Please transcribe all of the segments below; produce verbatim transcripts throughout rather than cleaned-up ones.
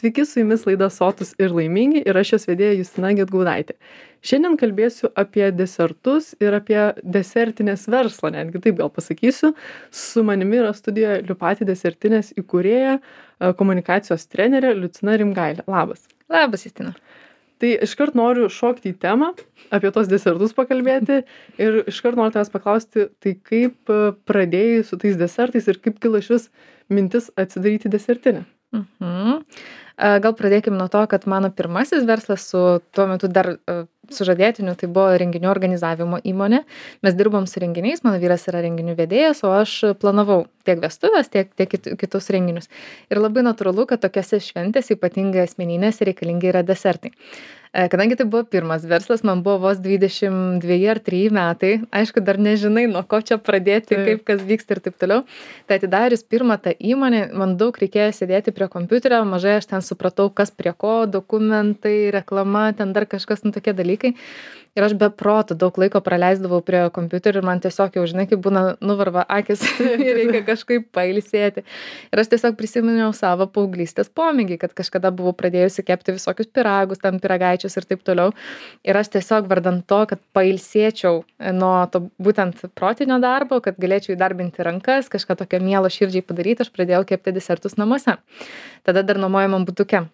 Sveiki, su jumis laida Sotūs ir laimingi ir aš jos vedėja Justina Gedgaudaitė. Šiandien kalbėsiu apie desertus ir apie desertinės verslą, netgi taip gal pasakysiu. Su manimi yra studijoje Liupati desertinės įkūrėja, e, komunikacijos trenerė Liucina Rimgailė. Labas. Labas, Justina. Tai iškart noriu šokti į temą, apie tos desertus pakalbėti ir iškart noriu tavęs paklausti, tai kaip e, pradėjai su tais desertais ir kaip kilo išvis mintis atsidaryti desertinę? Mhm. A, Gal pradėkim nuo to, kad mano pirmasis verslas su tuo metu dar a, sužadėtiniu, tai buvo renginių organizavimo įmonė. Mes dirbom su renginiais, mano vyras yra renginių vedėjas, o aš planavau tiek vestuvės, tiek, tiek kit- kitus renginius. Ir labai natūralu, kad tokiose šventėse, ypatingai asmeninėse, reikalingi yra desertai. E, Kadangi tai buvo pirmas verslas, man buvo vos dvidešimt dveji ar trys metai, aišku, dar nežinai, nuo ko čia pradėti, Taip. kaip kas vyksta ir taip toliau. Tai atidarius pirmą tą įmonę, man daug reikėjo sėdėti prie kompiuterio, mažai aš ten supratau, kas prie ko, dokumentai, reklama, ten dar kažkas, nu tokie dalykai. Ir aš be proto daug laiko praleisdavau prie kompiuterio ir man tiesiog jau, žinai, kaip būna nuvarva akis ir reikia kažkaip pailsėti. Ir aš tiesiog prisiminiau savo paauglystės pomėgį, kad kažkada buvau pradėjusi kepti visokius pyragus, tam pyragaičius ir taip toliau. Ir aš tiesiog vardant to, kad pailsėčiau nuo to būtent protinio darbo, kad galėčiau įdarbinti rankas, kažką tokio mielo širdžiai padaryti, aš pradėjau kepti desertus namuose. Tada dar nuomojamam butuke.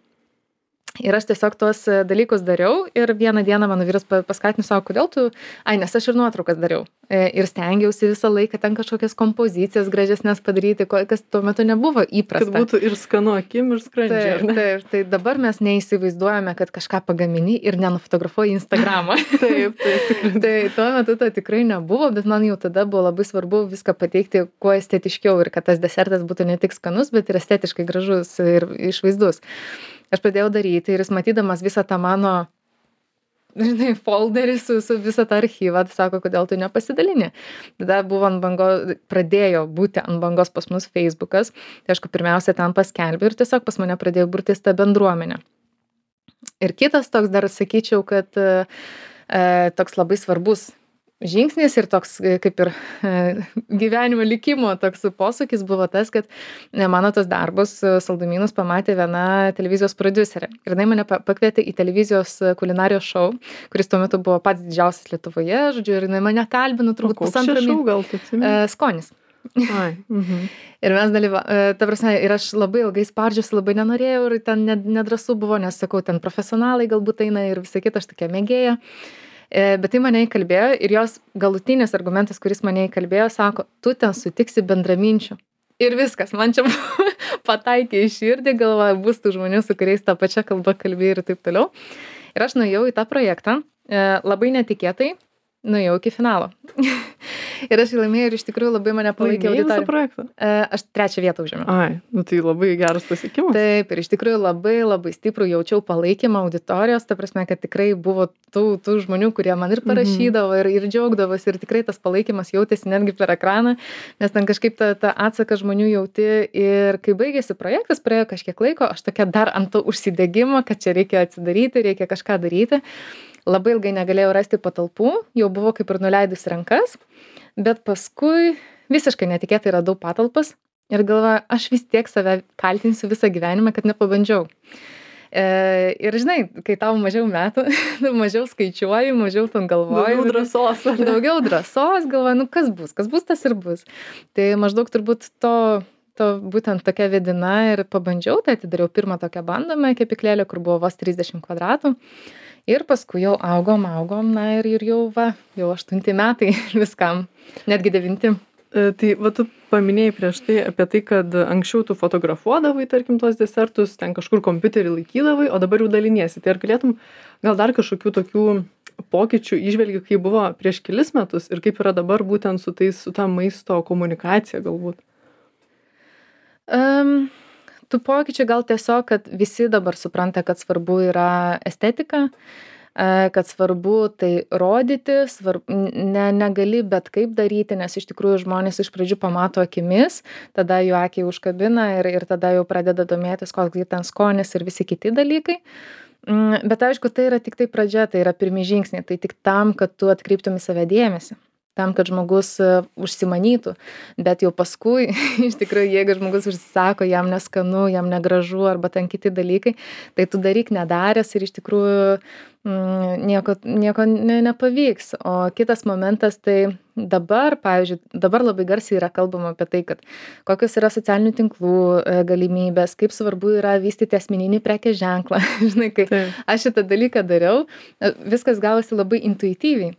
Ir aš tiesiog tuos e, dalykus dariau ir vieną dieną mano vyras pa- paskatino savo, kodėl tu, ai, nes aš ir nuotraukas dariau. E, Ir stengiausi visą laiką ten kažkokias kompozicijas gražesnės padaryti, ko- kas tuo metu nebuvo Kad įprasta. būtų ir skanu akim, ir skrandžiu, ar Taip, ne? taip, tai dabar mes neįsivaizduojame, kad kažką pagamini ir nenufotografuoji į Instagramą. Taip, taip, tikrai. Tai tuo metu to tikrai nebuvo, bet man jau tada buvo labai svarbu viską pateikti kuo estetiškiau ir kad tas desertas būtų ne tik skanus, bet ir estetiškai gražus ir išvaizdus. Aš pradėjau daryti ir jis matydamas visą tą mano, žinai, folderį su, su visą tą archyvą, tai sako, kodėl tu nepasidalini. Tada buvo ant bangos, pradėjo būti ant bangos pas mus Facebookas, tai aišku, pirmiausia ten paskelbė ir tiesiog pas mane pradėjo burtis ta bendruomenė. Ir kitas toks dar sakyčiau, kad e, e, toks labai svarbus žingsnis ir toks e, kaip ir e, gyvenimo likimo toks posūkis buvo tas, kad e, mano tos darbus e, saldumynus pamatė viena televizijos prodiuserė. Ir jinai mane pa- pakvietė į televizijos e, kulinarijos šou, kuris tuo metu buvo pats didžiausias Lietuvoje, žodžiu, ir jinai mane kalbino O turbūt koks pusantrą čia šou, mėnesį. gal tu atsimeni? Skonis. Ai, mhm. Ir mes dalyvavome, ta prasme, ir aš labai ilgai spardžiusi, labai nenorėjau ir ten ned- nedrąsu buvo, nes sakau, ten profesionalai galbūt eina ir visą kitą, aš tokia mėgėja. E, Bet tai mane įkalbėjo ir jos galutinis argumentas, kuris mane įkalbėjo, sako, tu ten sutiksi bendraminčių. Ir viskas, man čia pataikė į širdį, galvoju, bus tų žmonių, su kuriais tą pačią kalbą kalbėjai ir taip toliau. Ir aš nuėjau į tą projektą, e, labai netikėtai, nuėjau iki finalo. Ir aš jį laimėjau ir iš tikrųjų labai mane palaikė Laimėjai visą auditorija. projektą? E, Aš trečią vietą užėmiau. Ai, nu tai labai geras pasiekimas. Taip, ir iš tikrųjų labai labai stiprų jaučiau palaikymą auditorijos, ta prasme, kad tikrai buvo tų, tų žmonių, kurie man ir parašydavo ir, ir džiaugdavosi ir tikrai tas palaikymas jautėsi netgi per ekraną, nes ten kažkaip tą, tą atsaką žmonių jauti ir kai baigėsi projektas, praėjo kažkiek laiko, aš tokia dar ant to užsidegimo, kad čia reikia atsidaryti, reikia kažką daryti. Labai ilgai negalėjau rasti patalpų, jau buvo kaip ir nuleidus rankas, bet paskui visiškai netikėtai radau patalpas ir galvoju, aš vis tiek save kaltinsiu visą gyvenimą, kad nepabandžiau. E, ir žinai, kai tau mažiau metų, mažiau skaičiuoju, mažiau ten galvoju. Daugiau drąsos. ar ne? Daugiau drąsos, galvoju, nu kas bus, kas bus, tas ir bus. Tai maždaug turbūt to, to būtent tokia vedina ir pabandžiau, tai atidariau pirmą tokią bandomą kepyklėlę, kur buvo vos trisdešimt kvadratų. Ir paskui jau augom, augom, na ir, ir jau, va, jau aštunti metai viskam, netgi devinti. E, Tai va tu paminėjai prieš tai apie tai, kad anksčiau tu fotografuodavai, tarkim, tos desertus, ten kažkur kompiuterį laikydavai, o dabar jau daliniesi. Tai ar galėtum gal dar kažkokių tokių pokyčių įžvelgi, kaip buvo prieš kelis metus ir kaip yra dabar būtent su tais, su ta maisto komunikacija galbūt? Um, tų pokyčių gal tiesiog, kad visi dabar supranta, kad svarbu yra estetika, e, kad svarbu tai rodyti, svarbu, ne, negali bet kaip daryti, nes iš tikrųjų žmonės iš pradžių pamato akimis, tada jų akiai užkabina ir, ir tada jau pradeda domėtis, koks ten skonis ir visi kiti dalykai. Mm, Bet aišku, tai yra tik tai pradžia, tai yra pirmi žingsniai, tai tik tam, kad tu atkreiptum į save dėmesį. tam, kad žmogus e, užsimanytų. Bet jau paskui, iš tikrųjų, jeigu žmogus užsisako, jam neskanu, jam negražu arba ten kiti dalykai, tai tu daryk nedaręs ir iš tikrųjų mm, nieko, nieko ne, nepavyks. O kitas momentas, tai dabar, pavyzdžiui, dabar labai garsiai yra kalbama apie tai, kad kokios yra socialinių tinklų e, galimybės, kaip svarbu yra vystyti asmeninį prekės ženklą. Žinai, kai Taip. aš šitą dalyką dariau, e, viskas gavosi labai intuityviai.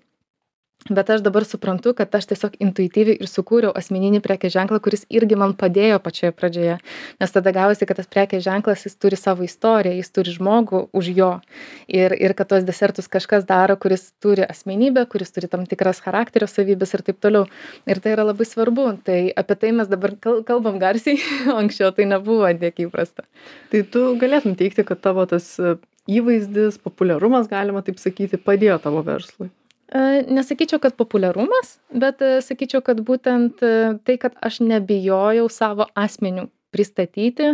Bet aš dabar suprantu, kad aš tiesiog intuityviai ir sukūriau asmeninį prekės ženklą, kuris irgi man padėjo pačioje pradžioje. Nes tada gavosi, kad tas prekės ženklas, jis turi savo istoriją, jis turi žmogų už jo. Ir, ir kad tos desertus kažkas daro, kuris turi asmenybę, kuris turi tam tikras charakterio savybės ir taip toliau. Ir tai yra labai svarbu. Tai apie tai mes dabar kal- kalbam garsiai, o anksčiau tai nebuvo tiek įprasta. Tai tu galėtum teigti, kad tavo tas e, įvaizdis, populiarumas, galima taip sakyti, padėjo tavo verslui. E, Nesakyčiau, kad populiarumas, bet e, sakyčiau, kad būtent e, tai, kad aš nebijojau savo asmenių pristatyti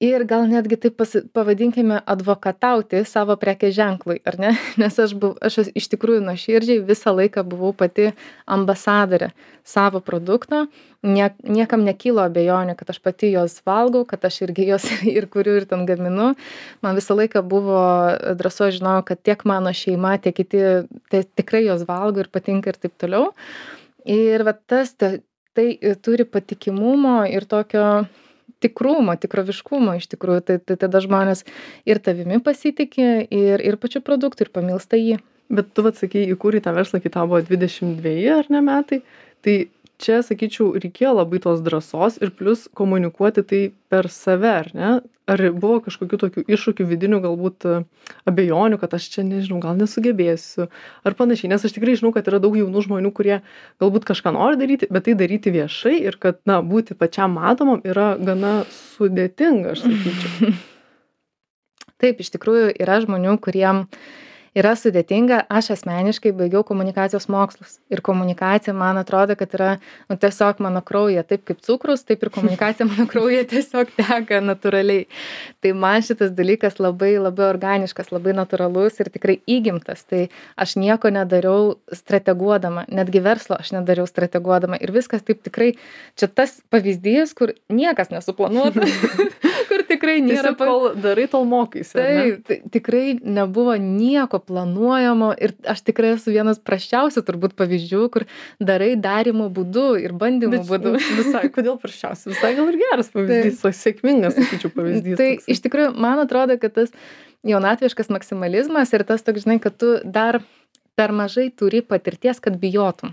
ir gal netgi taip pasi, pavadinkime advokatauti savo prekės ženklui, ar ne? Nes aš, buv, aš iš tikrųjų nuoširdžiai visą laiką buvau pati ambasadorė savo produkto. Nie, niekam nekilo abejonių, kad aš pati jos valgau, kad aš irgi jos ir kuriu ir ten gaminu. Man visą laiką buvo drąsu, aš žinojau, kad tiek mano šeima, tiek kiti tai tikrai jos valgo ir patinka ir taip toliau. Ir va tas tai, tai turi patikimumo ir tokio tikrumo, tikroviškumo iš tikrųjų. Tai, tai tada žmonės ir tavimi pasitikė, ir, ir pačiu produktu, ir pamilsta jį. Bet tu, vat, sakei, įkūrei tą verslą, kai tau buvo dvidešimt dveji ar ne metai, tai čia, sakyčiau, reikėjo labai tos drąsos ir plus komunikuoti tai per save, ar ne? Ar buvo kažkokių tokių iššūkių vidinių, galbūt e, abejonių, kad aš čia, nežinau, gal nesugebėsiu, ar panašiai, nes aš tikrai žinau, kad yra daug jaunų žmonių, kurie galbūt kažką nori daryti, bet tai daryti viešai ir kad, na, būti pačiam matomam yra gana sudėtinga, aš sakyčiau. Taip, iš tikrųjų yra žmonių, kuriem yra sudėtinga. Aš asmeniškai baigiau komunikacijos mokslus. Ir komunikacija, man atrodo, kad yra nu, tiesiog mano kraujyje, taip kaip cukrus, taip ir komunikacija mano kraujyje tiesiog teka natūraliai. Tai man šitas dalykas labai, labai organiškas, labai natūralus ir tikrai įgimtas. Tai aš nieko nedariau strateguodama, netgi verslo aš nedariau strateguodama. Ir viskas taip tikrai, čia tas pavyzdys, kur niekas nesuplanuota, kur tikrai nėra. Tiesiog kol darai, tol mokaisi. Taip, tai tikrai nebuvo nieko planuojamo ir aš tikrai esu vienas prasčiausių turbūt pavyzdžių, kur darai darimo būdu ir bandymų Bet būdu. visai, kodėl prasčiausiai? Visai gal ir geras pavyzdys, tai, sėkmingas, sakyčiau, pavyzdys. Tai toksai. iš tikrųjų, man atrodo, kad tas jaunatviškas maksimalizmas ir tas toks, žinai, kad tu dar per mažai turi patirties, kad bijotum.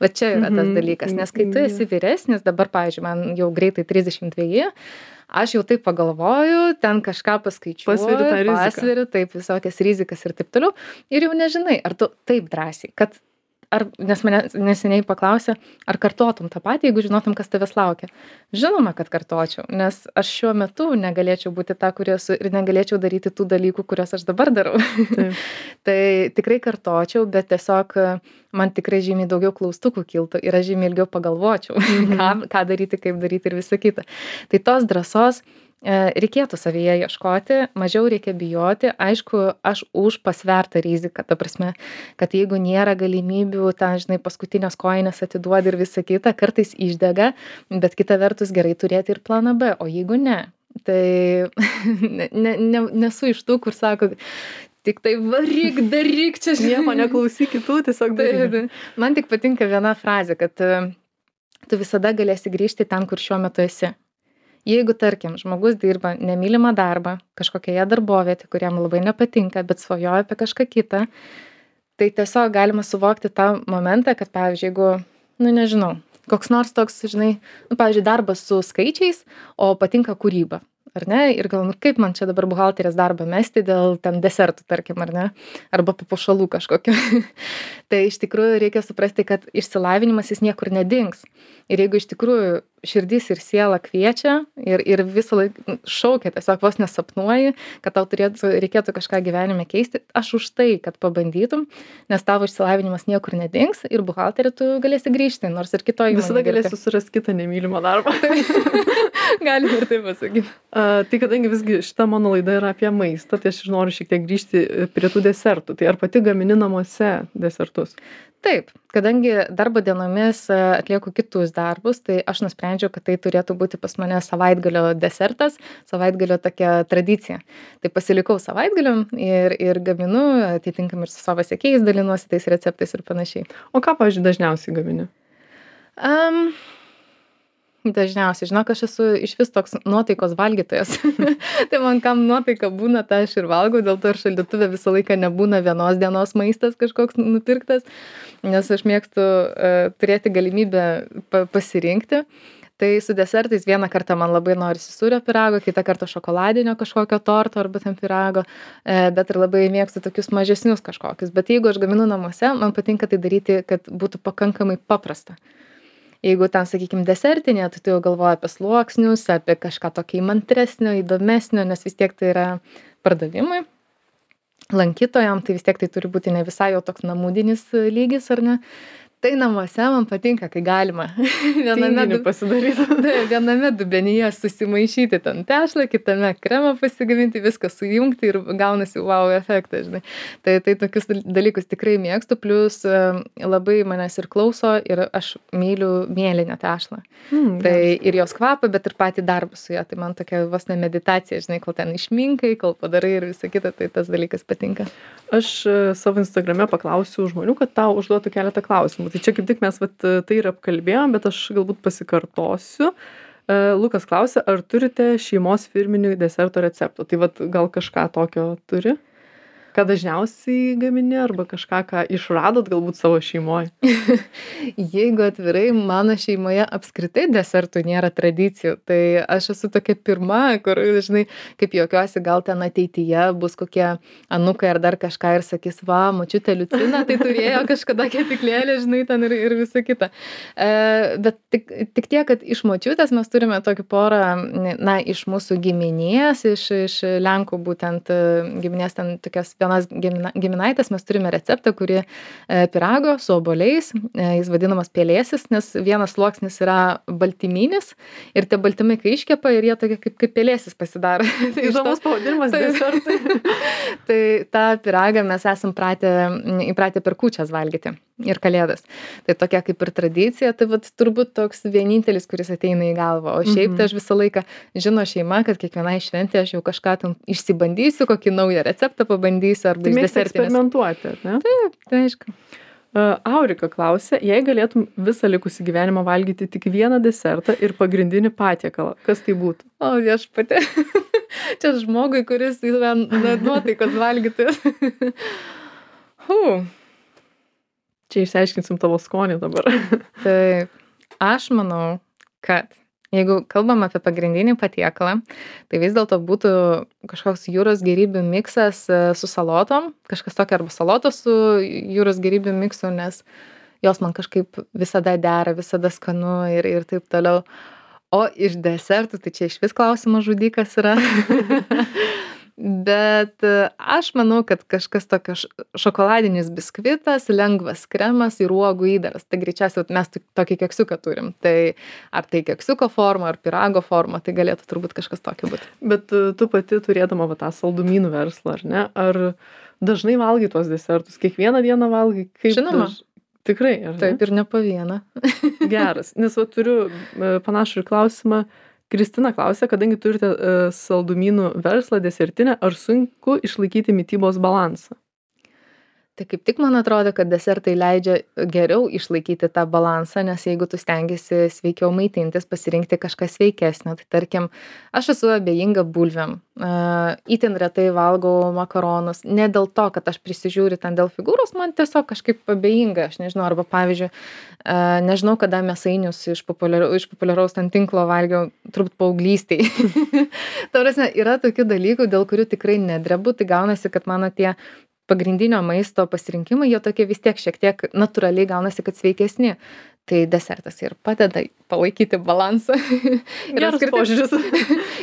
Va čia yra tas Mhm. dalykas, nes kai tu esi vyresnis, dabar, pavyzdžiui, man jau greitai trisdešimt dveji, aš jau taip pagalvoju, ten kažką paskaičiuoju, Pasveri tą riziką. pasveriu, taip, visokias rizikas ir taip toliau. Ir jau nežinai, ar tu taip drąsiai, kad ar, nes mane neseniai paklausė, ar kartotum tą patį, jeigu žinotum, kas tavęs laukia. Žinoma, kad kartočiau, nes aš šiuo metu negalėčiau būti ta, kuri esu ir negalėčiau daryti tų dalykų, kuriuos aš dabar darau. Taip. Tai tikrai kartočiau, bet tiesiog man tikrai žymiai daugiau klaustukų kiltų ir aš žymiai ilgiau pagalvočiau, Mhm. ką, ką daryti, kaip daryti ir visa kita. Tai tos drąsos e, reikėtų savyje ieškoti, mažiau reikia bijoti. Aišku, aš už pasvertą riziką, ta prasme, kad jeigu nėra galimybių, ten, žinai, paskutinės kojinės atiduodi ir visa kita, kartais išdega, bet kita vertus gerai turėti ir planą B, o jeigu ne, tai ne, ne, ne, nesu iš tų, kur sako, tik tai varyk, daryk čia, Nieko neklausyk kitų, tiesiog Tai, daryk. tai. Man tik patinka viena frazė, kad e, tu visada galėsi grįžti ten, kur šiuo metu esi. Jeigu, tarkim, žmogus dirba nemylimą darbą kažkokioje darbovietėje, kuriam labai nepatinka, bet svajoja apie kažką kitą, tai tiesiog galima suvokti tą momentą, kad, pavyzdžiui, jeigu, nu nežinau, koks nors toks, žinai, nu, pavyzdžiui, darbas su skaičiais, o patinka kūryba. Ar ne? Ir gal, nu, kaip man čia dabar buhalterės darbą mesti dėl ten desertų, tarkim, ar ne? Arba papuošalų kažkokio. Tai iš tikrųjų reikia suprasti, kad išsilavinimas jis niekur nedings. Ir jeigu iš tikrųjų širdis ir siela kviečia ir, ir visą laiką šaukia, tiesiog vos nesapnuoji, kad tau turėtų, reikėtų kažką gyvenime keisti, aš už tai, kad pabandytum, nes tavo išsilavinimas niekur nedings ir buhalterį tu galėsi grįžti, nors ir kitoj įmonėje Visada dirbti. galėsi surasti kitą nemylimą darbą. Galim ir taip pasakyti. A, tai kadangi visgi šita mano laida yra apie maistą, tai aš ir noriu šiek tiek grįžti prie tų desertų. Tai ar pati gamini namuose desertus? Taip, kadangi darbo dienomis e, atlieku kitus darbus, tai aš nusprendžiau, kad tai turėtų būti pas mane savaitgalio desertas, savaitgalio tokia tradicija. Tai pasilikau savaitgaliu ir, ir gaminu, atitinkam ir su savo sekėjais dalinuosi tais receptais ir panašiai. O ką, pavyzdžiui, dažniausiai gamini? Um, Dažniausiai, žinok, aš esu iš vis toks nuotaikos valgytojas. Tai man kam nuotaika būna, tai aš ir valgau, dėl to ir šaldytuve visą laiką nebūna vienos dienos maistas kažkoks nupirktas, nes aš mėgstu uh, turėti galimybę pa pasirinkti. Tai su desertais vieną kartą man labai norisi sūrio pyrago, kitą kartą šokoladinio kažkokio torto arba ten pyrago, e, bet ir labai mėgstu tokius mažesnius kažkokius. Bet jeigu aš gaminu namuose, man patinka tai daryti, kad būtų pakankamai paprasta. Jeigu ten, sakykim, desertinė, tai tu jau galvoji apie sluoksnius, apie kažką tokio įmantresnio, įdomesnio, nes vis tiek tai yra pardavimui. Lankytojam, tai vis tiek tai turi būti ne visai jau toks namudinis lygis, ar ne? Tai namuose man patinka, kai galima viename, du... viename dubenyje susimaišyti ten tešlą, kitame kremą pasigaminti, viską sujungti ir gaunasi wow efektą, žinai. Tai, tai tokius dalykus tikrai mėgstu, plus labai manęs ir klauso ir aš myliu mėlyną tešlą. Mm, tai geras. Ir jos kvapą, bet ir patį darbą su ją. Tai man tokia vos ne meditacija, žinai, kol ten išminkai, kol padarai ir visa kita, tai tas dalykas patinka. Aš savo Instagrame paklausiu žmonių, kad tau užduotų keletą klausimų. Tai čia kaip tik mes vat, tai ir apkalbėjom, bet aš galbūt pasikartosiu. Lukas klausia, ar turite šeimos firminių deserto receptų? Tai vat, gal kažką tokio turi? Ką dažniausiai gamini arba kažką, ką išradot galbūt savo šeimoje? Jeigu atvirai, mano šeimoje apskritai desertų nėra tradicijų. Tai aš esu tokia pirma, kur, žinai, kaip juokiuosi, gal ten ateityje bus kokie anukai ar dar kažką ir sakys, va, močiutė Liucina, tai turėjo kažkada kepyklėlę, žinai, ten ir, ir visa kita. E, bet tik, tik tiek, kad iš močiutės mes turime tokį porą, na, iš mūsų giminės, iš, iš Lenkų būtent giminės ten tokias vienas gimina, giminaitės, mes turime receptą, kuri e, pyrago su obuoliais, e, jis vadinamas pelėsis, nes vienas sluoksnis yra baltyminis ir tie baltymai, kai iškepa ir jie tokie kaip, kaip pelėsis pasidaro. Tai įdomus pavadinimas desertui. Tai tą pyragą mes esam pratę, įpratę per kūčias valgyti ir kalėdas. Tai tokia kaip ir tradicija, tai vat, turbūt toks vienintelis, kuris ateina į galvą. O šiaip tai aš visą laiką žino šeima, kad kiekvienai šventė aš jau kažką tam išsibandysiu, kokį naują receptą pabandysiu arba tai iš desertinės. Eksperimentuoti, ne? Taip, tai aišku. Uh, Aurika klausia, jei galėtum visą likusį gyvenimą valgyti tik vieną desertą ir pagrindinį patiekalą, kas tai būtų? O, viešpatie. Čia žmogui, kuris yra nuotaikos valgytojas. huh. Čia išsiaiškinsim tavo skonį dabar. Taip, aš manau, kad jeigu kalbam apie pagrindinį patiekalą, tai vis dėlto būtų kažkoks jūros gėrybių miksas su salotom, kažkas tokio arba salotos su jūros gėrybių miksu, nes jos man kažkaip visada dera, visada skanu ir, ir taip toliau. O iš desertų, tai čia iš vis klausimas žudikas yra. Bet aš manau, kad kažkas tokio šokoladinis biskvitas, lengvas kremas ir uogų įdaras. Tai greičiausiai mes tokį keksiuką turim. Tai ar tai keksiuko forma, ar pyrago forma, tai galėtų turbūt kažkas tokio būti. Bet tu pati turėdama va, tą saldumynų verslą, ar ne? Ar dažnai valgai tuos desertus? Kiekvieną dieną valgai? Kaip Žinoma. Daž... Tikrai, ar ne? Taip, ir ne po vieną. Geras. Nes va, turiu panašų ir klausimą. Kristina klausia, kadangi turite uh, saldumynų verslą desertinę, ar sunku išlaikyti mitybos balansą? Tai kaip tik man atrodo, kad desertai leidžia geriau išlaikyti tą balansą, nes jeigu tu stengiasi sveikiau maitintis, pasirinkti kažką sveikesnio, tai tarkim, aš esu abejinga bulvėm, uh, itin retai valgau makaronus, ne dėl to, kad aš prisižiūriu ten dėl figūros, man tiesiog kažkaip abejinga, aš nežinau, arba pavyzdžiui, uh, nežinau, kada mėsainius iš, populiar, iš populiaraus ten tinklo valgiau, turbūt paauglystėj. Ta prasme, yra tokių dalykų, dėl kurių tikrai nedrebu, tai gaunasi, kad mano tie pagrindinio maisto pasirinkimai, jie tokie vis tiek šiek tiek natūraliai gaunasi, kad sveikesni. Tai desertas ir padeda palaikyti balansą. ir, apskritai,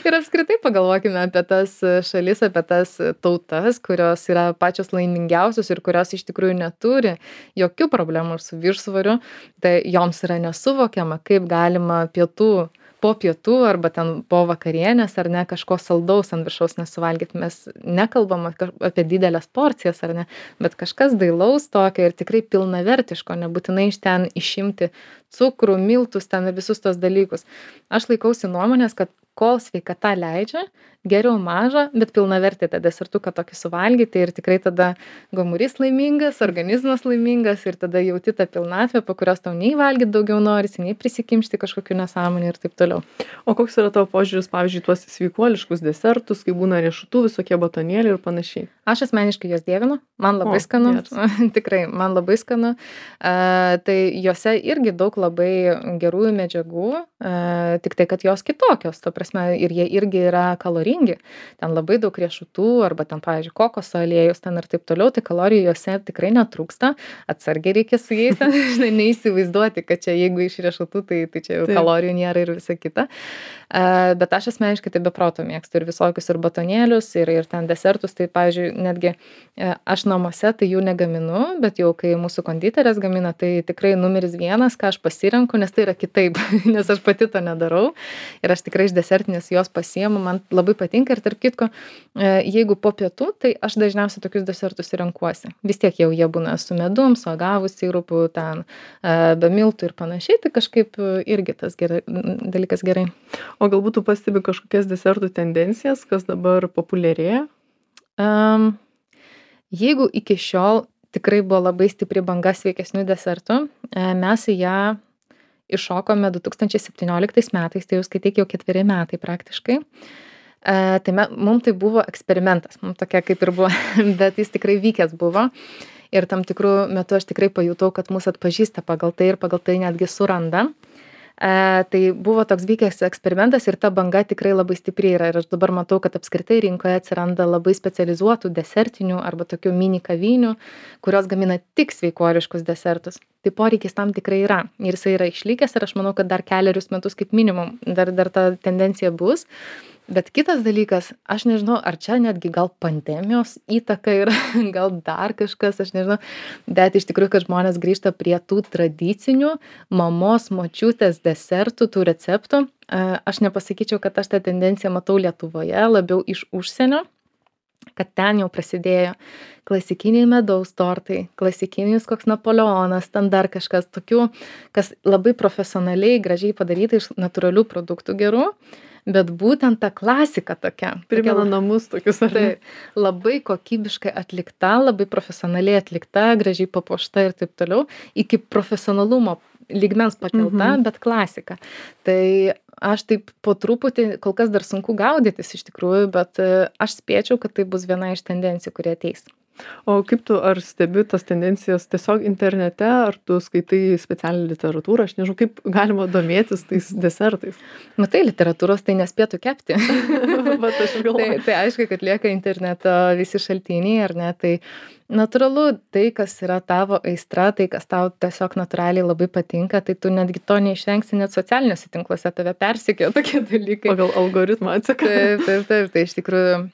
ir apskritai pagalvokime apie tas šalis, apie tas tautas, kurios yra pačios laimingiausios ir kurios iš tikrųjų neturi jokių problemų su viršsvoriu. Tai joms yra nesuvokiama, kaip galima pietų po pietų arba ten po vakarienės ar ne kažko saldaus ant viršaus nesuvalgyt. Mes nekalbam apie didelės porcijas ar ne, bet kažkas dailaus tokio ir tikrai pilnavertiško, nebūtinai iš ten išimti cukrų, miltus, ten visus tos dalykus. Aš laikausi nuomonės, kad kol sveikata leidžia, geriau mažą, bet pilnavertį tą desertuką tokį suvalgyti ir tikrai tada gomurys laimingas, organizmas laimingas ir tada jauti tą pilnatvę, po kurios tau nei valgyti daugiau norisi, nei prisikimšti kažkokių nesąmonių ir taip toliau. O koks yra tavo požiūris, pavyzdžiui, tuos sveikuoliškus desertus, kai būna riešutų, visokie batonėliai ir panašiai? Aš asmeniškai juos dievinu, man labai o, skanu, tikrai, man labai skanu. Uh, tai juose irgi daug labai gerųjų medžiagų, uh, tik tai, kad jos kitokios, to prasme, ir jie irgi yra kaloringi. Ten labai daug riešutų, arba ten, pavyzdžiui, kokoso aliejus ten ir taip toliau, tai kalorijų juose tikrai netrūksta, atsargiai reikia su jais, ten, žinai, neįsivaizduoti, kad čia jeigu iš riešutų, tai, tai čia jau taip. Kalorijų nėra ir visa kita. Uh, bet aš asmeniškai tai be proto mėgstu ir visokius ir batonėlius, ir, ir ten desertus, tai, pavyzdžiui, netgi aš namuose tai jų negaminu, bet jau kai mūsų konditerės gamina, tai tikrai numeris vienas, ką aš pasirenku, nes tai yra kitaip, nes aš pati to nedarau ir aš tikrai iš desertinės jos pasiemu, man labai patinka ir tarp kitko, jeigu po pietų, tai aš dažniausiai tokius desertus renkuosi. Vis tiek jau jie būna su medum, su agavų sirupu, ten be miltų ir panašiai, tai kažkaip irgi tas gerai, dalykas gerai. O galbūt tu pastebi kažkokias desertų tendencijas, kas dabar populiarėja? Um, Jeigu iki šiol tikrai buvo labai stipri banga sveikesnių desertų, mes į ją iššokome du tūkstančiai septynioliktais metais, tai jau skaityk jau ketveri metai praktiškai. Tai mums tai buvo eksperimentas, mums tokia kaip ir buvo, bet jis tikrai vykęs buvo. Ir tam tikrų metų aš tikrai pajutau, kad mus atpažįsta pagal tai ir pagal tai netgi suranda. E, tai buvo toks vykęs eksperimentas ir ta banga tikrai labai stipri yra ir aš dabar matau, kad apskritai rinkoje atsiranda labai specializuotų desertinių arba tokių mini kavinių, kurios gamina tik sveikuoliškus desertus. Tai poreikis tam tikrai yra ir jisai yra išlikęs ir aš manau, kad dar keliarius metus kaip minimum dar, dar ta tendencija bus. Bet kitas dalykas, aš nežinau, ar čia netgi gal pandemijos įtaka yra, gal dar kažkas, aš nežinau, bet iš tikrųjų, kad žmonės grįžta prie tų tradicinių mamos, močiutės desertų, tų receptų. Aš nepasakyčiau, kad aš tą tendenciją matau Lietuvoje, labiau iš užsienio, kad ten jau prasidėjo klasikiniai medaus tortai, klasikinis koks Napoleonas, ten dar kažkas tokių, kas labai profesionaliai, gražiai padaryta iš natūralių produktų gerų. Bet būtent ta klasika tokia. Primena tokia, namus tokius, ar ne? Tai, labai kokybiškai atlikta, labai profesionaliai atlikta, gražiai papuošta ir taip toliau, iki profesionalumo lygmens pakelta, mhm. bet klasika. Tai aš taip po truputį, kol kas dar sunku gaudytis iš tikrųjų, bet aš spėčiau, kad tai bus viena iš tendencijų, kurie ateis. O kaip tu, ar stebi tas tendencijas tiesiog internete, ar tu skaitai specialią literatūrą, aš nežinau, kaip galima domėtis tais desertais? Matai, literatūros tai nespėtų kepti. Bet aš galvoju. Tai, tai aišku, kad lieka interneto visi šaltiniai, ar ne, tai natūralu, tai, kas yra tavo aistra, tai, kas tau tiesiog natūraliai labai patinka, tai tu netgi to neišvengsi, net socialiniuose tinkluose tave persekioja tokie dalykai. Pagal algoritmą atseka. Taip, taip, taip, tai iš tikrųjų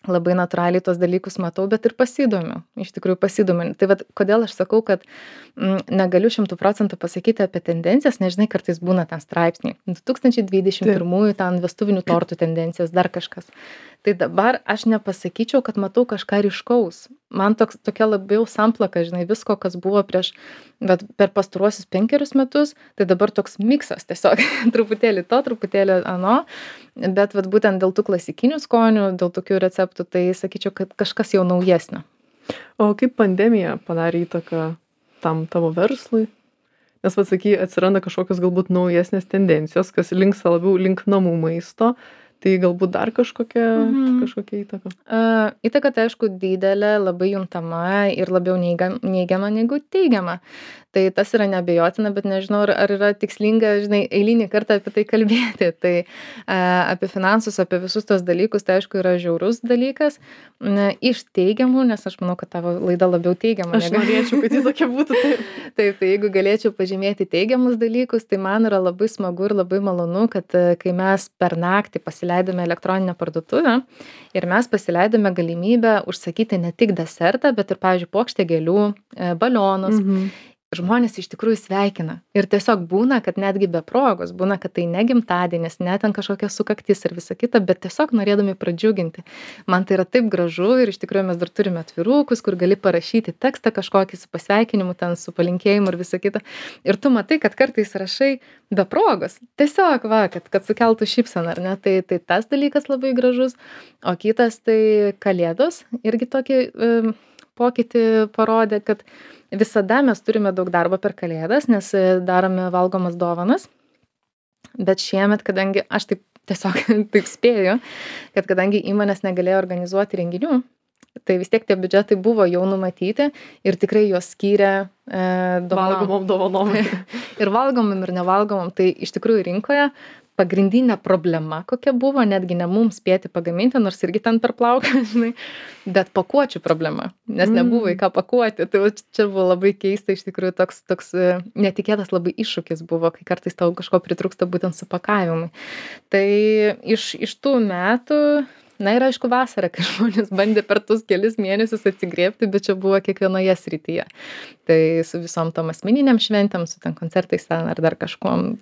labai natūraliai tos dalykus matau, bet ir pasidomiu, iš tikrųjų pasidomiu. Tai vad, kodėl aš sakau, kad m, negaliu šimtų procentų pasakyti apie tendencijas, nežinai, kartais būna ten straipsniai. du tūkstančiai dvidešimt pirmųjų ten vestuvinių tortų tendencijos, dar kažkas. Tai dabar aš nepasakyčiau, kad matau kažką ryškaus. Man toks, tokia labiau samplaka, žinai, visko, kas buvo prieš, bet per pastaruosius penkerius metus, tai dabar toks miksas tiesiog, truputėlį to, truputėlį ano, bet vat, būtent dėl tų klasikinių skonių, dėl tokių receptų, tai sakyčiau, kad kažkas jau naujesnio. O kaip pandemija padarė įtaką tam tavo verslui? Nes, vad saky, atsiranda kažkokios galbūt naujesnės tendencijos, kas linksta labiau link namų maisto, tai galbūt dar kažkokia, mhm. kažkokia įtaka? Uh, įtaka, tai aišku, didelė, labai juntama ir labiau neigiama negu teigiama. Tai tas yra neabejotina, bet nežinau, ar, ar yra tikslinga, žinai, eilinį kartą apie tai kalbėti. Tai a, apie finansus, apie visus tos dalykus, tai aišku, yra žiaurus dalykas. Na, iš teigiamų, nes aš manau, kad tavo laida labiau teigiama. Aš norėčiau, kad jis tokia būtų. Taip. Taip, tai jeigu galėčiau pažymėti teigiamus dalykus, tai man yra labai smagu ir labai malonu, kad kai mes per naktį pasileidome elektroninę parduotuvę ir mes pasileidome galimybę užsakyti ne tik desertą, bet ir, pavyzdžiui, puokštę gėlių, balionus. Mhm. žmonės iš tikrųjų sveikina. Ir tiesiog būna, kad netgi be progos, būna, kad tai ne gimtadienis, ne ten kažkokia sukaktis ir visa kita, bet tiesiog norėdami pradžiuginti. Man tai yra taip gražu ir iš tikrųjų mes dar turime atvirukus, kur gali parašyti tekstą kažkokį su pasveikinimu, ten su palinkėjimu ir visa kita. Ir tu matai, kad kartais rašai be progos. Tiesiog, va, kad, kad sukeltų šypseną, ar ne? Tai, tai tas dalykas labai gražus. O kitas tai kalėdos irgi tokį e, pokytį parodė, kad visada mes turime daug darbo per kalėdas, nes darome valgomas dovanas. Bet šiemet, kadangi aš taip tiesiog taip spėju, kad kadangi įmonės negalėjo organizuoti renginių, tai vis tiek tie biudžetai buvo jau numatyti ir tikrai juos skyrė e, dovanom. Valgomom dovanom. Ir valgomom ir nevalgomom. Tai iš tikrųjų rinkoje pagrindinė problema, kokia buvo, netgi ne mums spėti pagaminti, nors irgi ten per plauką, žinai, bet pakuočių problema, nes mm. nebuvo į ką pakuoti. Tai čia buvo labai keista, iš tikrųjų toks, toks netikėtas labai iššūkis buvo, kai kartais tau kažko pritrūksta būtent su pakavimui. Tai iš, iš tų metų, na ir aišku vasarą, kai žmonės bandė per tuos kelis mėnesius atsigrėbti, bet čia buvo kiekvienoje srityje. Tai su visom tom asmeniniam šventėm, su ten koncertais ten ar dar kažkuom.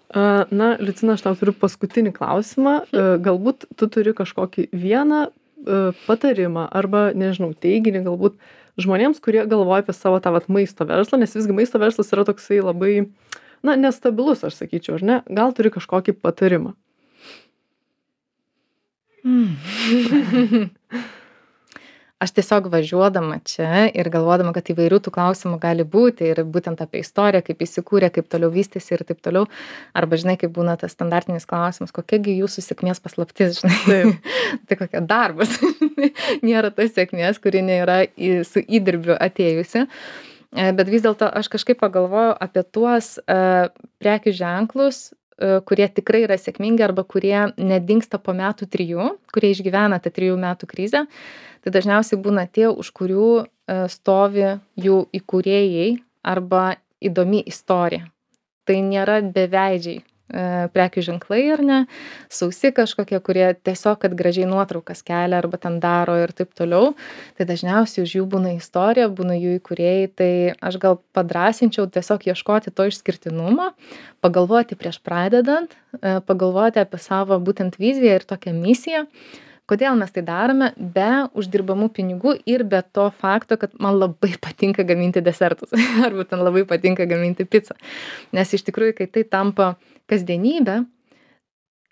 Na, Liucina, aš tau turiu paskutinį klausimą. Galbūt tu turi kažkokį vieną patarimą arba, nežinau, teiginį galbūt žmonėms, kurie galvoja apie savo tą vat, maisto verslą, nes visgi maisto verslas yra toksai labai, na, nestabilus, aš sakyčiau, ar ne? Gal turi kažkokį patarimą? Mm. Aš tiesiog važiuodama čia ir galvodama, kad įvairių tų klausimų gali būti ir būtent apie istoriją, kaip įsikūrė, kaip toliau vystėsi ir taip toliau. Arba, žinai, kaip būna tas standartinis klausimas, kokiagi jūsų sėkmės paslaptis, žinai. Tai kokia darbas. Nėra tas sėkmės, kuri nėra į, su įdirbiu atėjusi. Bet vis dėlto aš kažkaip pagalvojau apie tuos uh, prekių ženklus, uh, kurie tikrai yra sėkmingi arba kurie nedingsta po metų trijų, kurie išgyvena tą trijų metų krizę. Tai dažniausiai būna tie, už kurių stovi jų įkūrėjai arba įdomi istorija. Tai nėra beveidžiai prekių ženklai ar ne, sausi kažkokie, kurie tiesiog, kad gražiai nuotraukas kelia arba ten daro ir taip toliau. Tai dažniausiai už jų būna istorija, būna jų įkūrėjai. Tai aš gal padrasinčiau tiesiog ieškoti to išskirtinumo, pagalvoti prieš pradedant, pagalvoti apie savo būtent viziją ir tokią misiją. Kodėl mes tai darome be uždirbamų pinigų ir be to fakto, kad man labai patinka gaminti desertus arba ten labai patinka gaminti pizzą. Nes iš tikrųjų, kai tai tampa kasdienybė,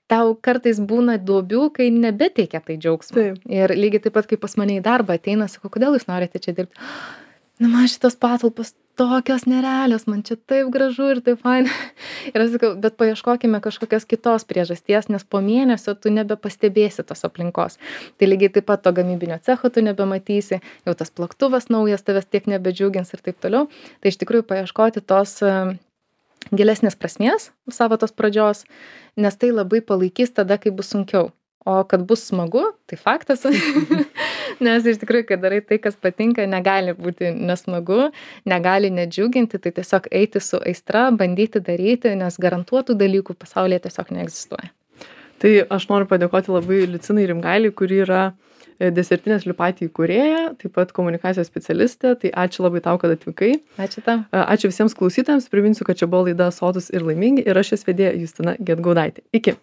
tau kartais būna duobių, kai nebeteikia tai džiaugsmo. Taip. Ir lygiai taip pat, kai pas mane į darbą ateina, sakau, kodėl jūs norite čia dirbti? Na, man šitos patalpos tokios nerealios, man čia taip gražu ir taip faina. Ir aš sakau, bet paieškokime kažkokios kitos priežasties, nes po mėnesio tu nebepastebėsi tos aplinkos. Tai lygiai taip pat to gamybinio cecho tu nebematysi, jau tas plaktuvas naujas tavęs tiek nebedžiugins ir taip toliau. Tai iš tikrųjų paieškoti tos gilesnės prasmės savo tos pradžios, nes tai labai palaikys tada, kai bus sunkiau. O kad bus smagu, tai faktas. Nes iš tikrųjų, kai darai tai, kas patinka, negali būti nesmagu, negali nedžiuginti, tai tiesiog eiti su aistra, bandyti daryti, nes garantuotų dalykų pasaulyje tiesiog neegzistuoja. Tai aš noriu padėkoti labai Liucinai Rimgailei, kuri yra Desertinės Liupati įkūrėja, taip pat komunikacijos specialistė. Tai ačiū labai tau, kad atvykai. Ačiū tau. Ačiū visiems klausytojams. Priminsiu, kad čia buvo laida Sotūs ir laimingi ir aš jos vedėja Justina Gedgaudaitė. Iki.